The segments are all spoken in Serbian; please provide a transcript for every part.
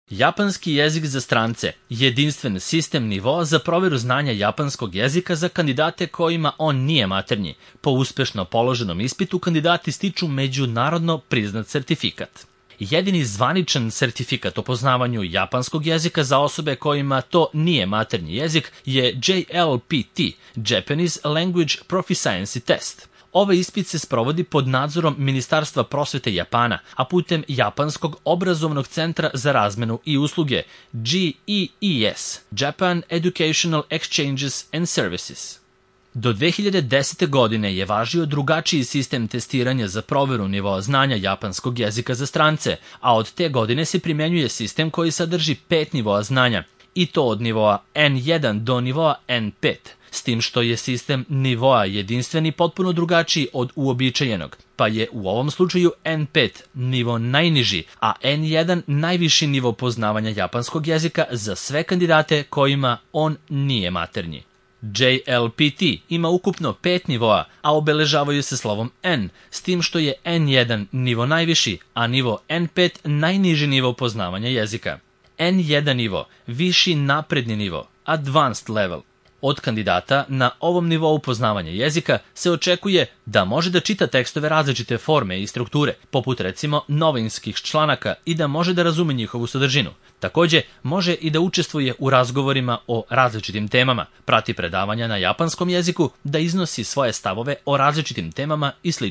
Japanski jezik za strance, jedinstven sistem nivoa za proveru znanja japanskog jezika za kandidate kojima on nije maternji. Po uspešno položenom ispitu kandidati stiču međunarodno priznat sertifikat. Jedini zvaničan sertifikat o poznavanju japanskog jezika za osobe kojima to nije maternji jezik je JLPT, Japanese Language Proficiency Test. Ovaj ispit se sprovodi pod nadzorom Ministarstva prosvete Japana, a putem Japanskog obrazovnog centra za razmenu i usluge GEES, Japan Educational Exchanges and Services. Do 2010. godine je važio drugačiji sistem testiranja za proveru nivoa znanja japanskog jezika za strance, a od te godine se primenjuje sistem koji sadrži 5 nivoa znanja, i to od nivoa N1 do nivoa N5, s tim što je sistem nivoa jedinstven i potpuno drugačiji od uobičajenog, pa je u ovom slučaju N5 nivo najniži, a N1 najviši nivo poznavanja japanskog jezika za sve kandidate kojima on nije maternji. JLPT ima ukupno 5 nivoa, a obeležavaju se slovom N, s tim što je N1 nivo najviši, a nivo N5 najniži nivo poznavanja jezika. N1 nivo, viši napredni nivo, advanced level. Od kandidata na ovom nivou poznavanja jezika se očekuje da može da čita tekstove različite forme i strukture, poput recimo novinskih članaka, i da može da razume njihovu sadržinu. Takođe, može i da učestvuje u razgovorima o različitim temama, prati predavanja na japanskom jeziku, da iznosi svoje stavove o različitim temama i sl.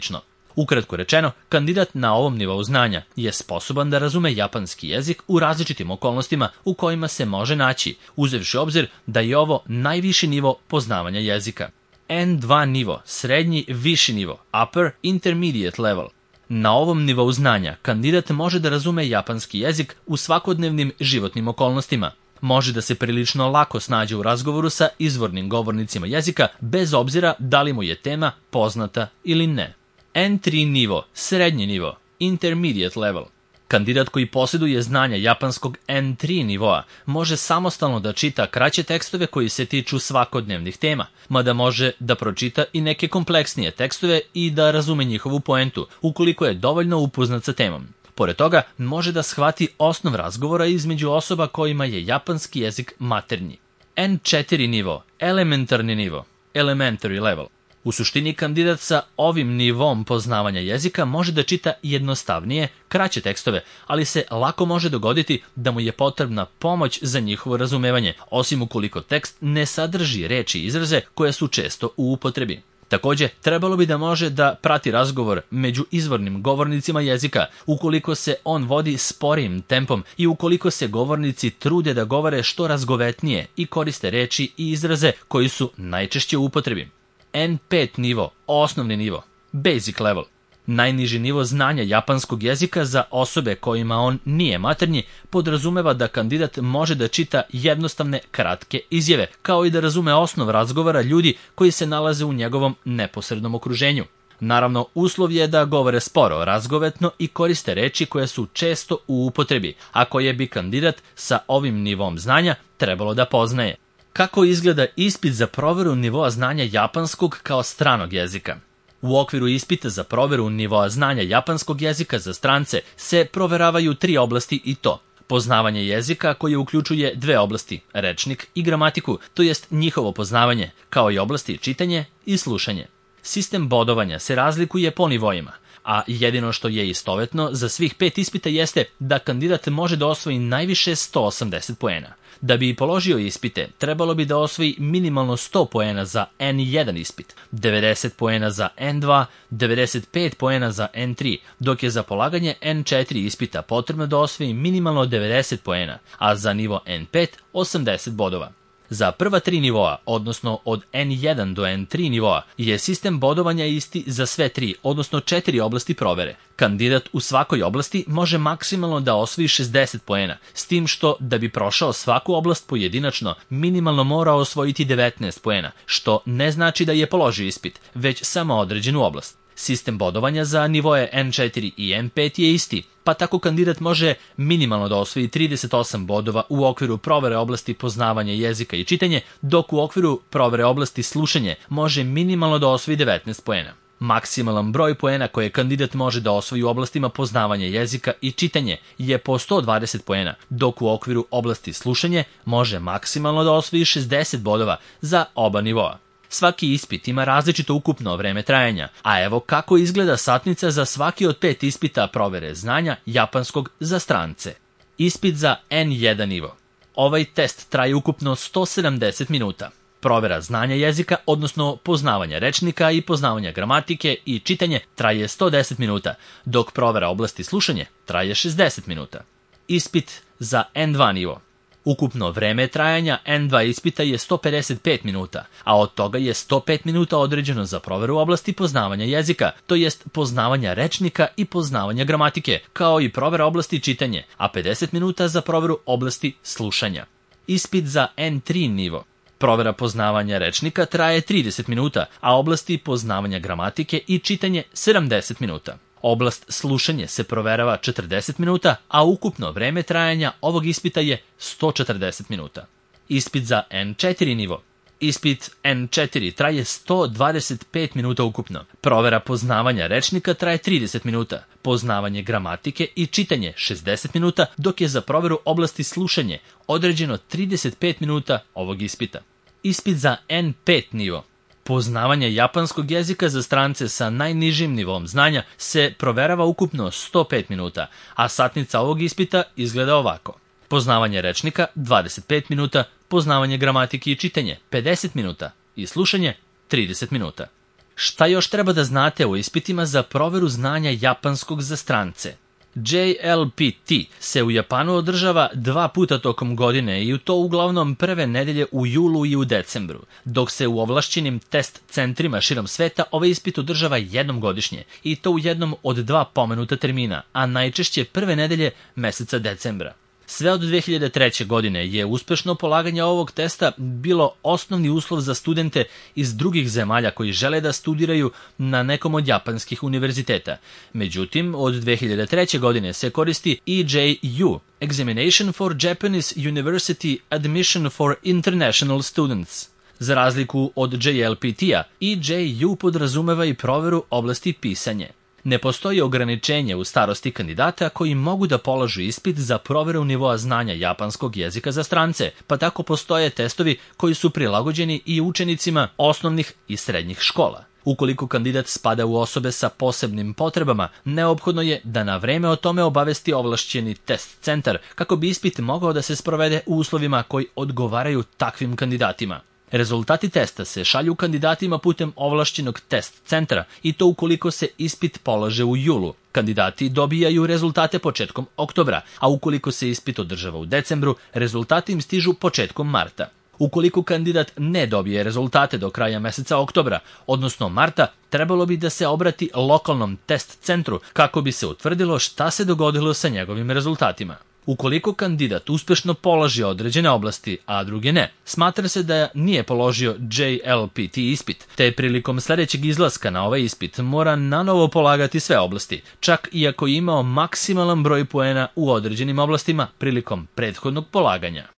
Ukratko rečeno, kandidat na ovom nivou znanja je sposoban da razume japanski jezik u različitim okolnostima u kojima se može naći, uzevši obzir da je ovo najviši nivo poznavanja jezika. N2 nivo, srednji viši nivo, upper intermediate level. Na ovom nivou znanja kandidat može da razume japanski jezik u svakodnevnim životnim okolnostima. Može da se prilično lako snađe u razgovoru sa izvornim govornicima jezika, bez obzira da li mu je tema poznata ili ne. N3 nivo, srednji nivo, intermediate level. Kandidat koji posjeduje znanja japanskog N3 nivoa može samostalno da čita kraće tekstove koji se tiču svakodnevnih tema, mada može da pročita i neke kompleksnije tekstove i da razume njihovu poentu, ukoliko je dovoljno upoznat sa temom. Pored toga, može da shvati osnov razgovora između osoba kojima je japanski jezik maternji. N4 nivo, elementarni nivo, elementary level. U suštini, kandidat sa ovim nivom poznavanja jezika može da čita jednostavnije, kraće tekstove, ali se lako može dogoditi da mu je potrebna pomoć za njihovo razumevanje, osim ukoliko tekst ne sadrži reči i izraze koje su često u upotrebi. Takođe, trebalo bi da može da prati razgovor među izvornim govornicima jezika, ukoliko se on vodi sporijim tempom i ukoliko se govornici trude da govore što razgovetnije i koriste reči i izraze koji su najčešće u upotrebi. N5 nivo, osnovni nivo, basic level. Najniži nivo znanja japanskog jezika za osobe kojima on nije maternji podrazumeva da kandidat može da čita jednostavne, kratke izjave, kao i da razume osnov razgovora ljudi koji se nalaze u njegovom neposrednom okruženju. Naravno, uslov je da govore sporo, razgovetno i koriste reči koje su često u upotrebi, a koje bi kandidat sa ovim nivom znanja trebalo da poznaje. Kako izgleda ispit za proveru nivoa znanja japanskog kao stranog jezika? U okviru ispita za proveru nivoa znanja japanskog jezika za strance se proveravaju 3 oblasti, i to: poznavanje jezika koje uključuje 2 oblasti, rečnik i gramatiku, to jest njihovo poznavanje, kao i oblasti čitanje i slušanje. Sistem bodovanja se razlikuje po nivoima, a jedino što je istovetno za svih 5 ispita jeste da kandidat može da osvoji najviše 180 poena. Da bi položio ispite, trebalo bi da osvoji minimalno 100 poena za N1 ispit, 90 poena za N2, 95 poena za N3, dok je za polaganje N4 ispita potrebno da osvoji minimalno 90 poena, a za nivo N5 80 bodova. Za prva 3 nivoa, odnosno od N1 do N3 nivoa, je sistem bodovanja isti za sve 3, odnosno 4 oblasti provere. Kandidat u svakoj oblasti može maksimalno da osvoji 60 poena, s tim što da bi prošao svaku oblast pojedinačno, minimalno mora osvojiti 19 poena, što ne znači da je položio ispit, već samo određenu oblast. Sistem bodovanja za nivoe N4 i N5 je isti, pa tako kandidat može minimalno da osvoji 38 bodova u okviru provere oblasti poznavanja jezika i čitanje, dok u okviru provere oblasti slušanje može minimalno da osvoji 19 poena. Maksimalan broj poena koje kandidat može da osvoji u oblastima poznavanja jezika i čitanje je po 120 poena, dok u okviru oblasti slušanje može maksimalno da osvoji 60 bodova za oba nivoa. Svaki ispit ima različito ukupno vreme trajanja, a evo kako izgleda satnica za svaki od 5 ispita provere znanja japanskog za strance. Ispit za N1 nivo. Ovaj test traje ukupno 170 minuta. Provera znanja jezika, odnosno poznavanja rečnika i poznavanja gramatike i čitanje traje 110 minuta, dok provera oblasti slušanje traje 60 minuta. Ispit za N2 nivo. Ukupno vreme trajanja N2 ispita je 155 minuta, a od toga je 105 minuta određeno za proveru oblasti poznavanja jezika, to jest poznavanja rečnika i poznavanja gramatike, kao i provera oblasti čitanje, a 50 minuta za proveru oblasti slušanja. Ispit za N3 nivo. Provera poznavanja rečnika traje 30 minuta, a oblasti poznavanja gramatike i čitanje 70 minuta. Oblast slušanje se proverava 40 minuta, a ukupno vreme trajanja ovog ispita je 140 minuta. Ispit za N4 nivo. Ispit N4 traje 125 minuta ukupno. Provera poznavanja rečnika traje 30 minuta, poznavanje gramatike i čitanje 60 minuta, dok je za proveru oblasti slušanje određeno 35 minuta ovog ispita. Ispit za N5 nivo. Poznavanje japanskog jezika za strance sa najnižim nivom znanja se proverava ukupno 105 minuta, a satnica ovog ispita izgleda ovako. Poznavanje rečnika 25 minuta, poznavanje gramatike i čitanje 50 minuta i slušanje 30 minuta. Šta još treba da znate o ispitima za proveru znanja japanskog za strance? JLPT se u Japanu održava 2 puta tokom godine i to uglavnom prve nedelje u julu i u decembru, dok se u ovlašćenim test centrima širom sveta ovaj ispit održava jednom godišnje i to u jednom od 2 pomenuta termina, a najčešće prve nedelje meseca decembra. Sve od 2003. godine je uspešno polaganje ovog testa bilo osnovni uslov za studente iz drugih zemalja koji žele da studiraju na nekom od japanskih univerziteta. Međutim, od 2003. godine se koristi EJU, Examination for Japanese University Admission for International Students. Za razliku od JLPT-a, EJU podrazumeva i proveru oblasti pisanje. Ne postoji ograničenje u starosti kandidata koji mogu da polažu ispit za proveru nivoa znanja japanskog jezika za strance, pa tako postoje testovi koji su prilagođeni i učenicima osnovnih i srednjih škola. Ukoliko kandidat spada u osobe sa posebnim potrebama, neophodno je da na vreme o tome obavesti ovlašćeni test centar kako bi ispit mogao da se sprovede u uslovima koji odgovaraju takvim kandidatima. Rezultati testa se šalju kandidatima putem ovlašćenog test centra i to ukoliko se ispit polaže u julu. Kandidati dobijaju rezultate početkom oktobra, a ukoliko se ispit održava u decembru, rezultati im stižu početkom marta. Ukoliko kandidat ne dobije rezultate do kraja meseca oktobra, odnosno marta, trebalo bi da se obrati lokalnom test centru kako bi se utvrdilo šta se dogodilo sa njegovim rezultatima. Ukoliko kandidat uspešno položi određene oblasti, a druge ne, smatra se da nije položio JLPT ispit, te prilikom sledećeg izlaska na ovaj ispit mora nanovo polagati sve oblasti, čak i ako je imao maksimalan broj poena u određenim oblastima prilikom prethodnog polaganja.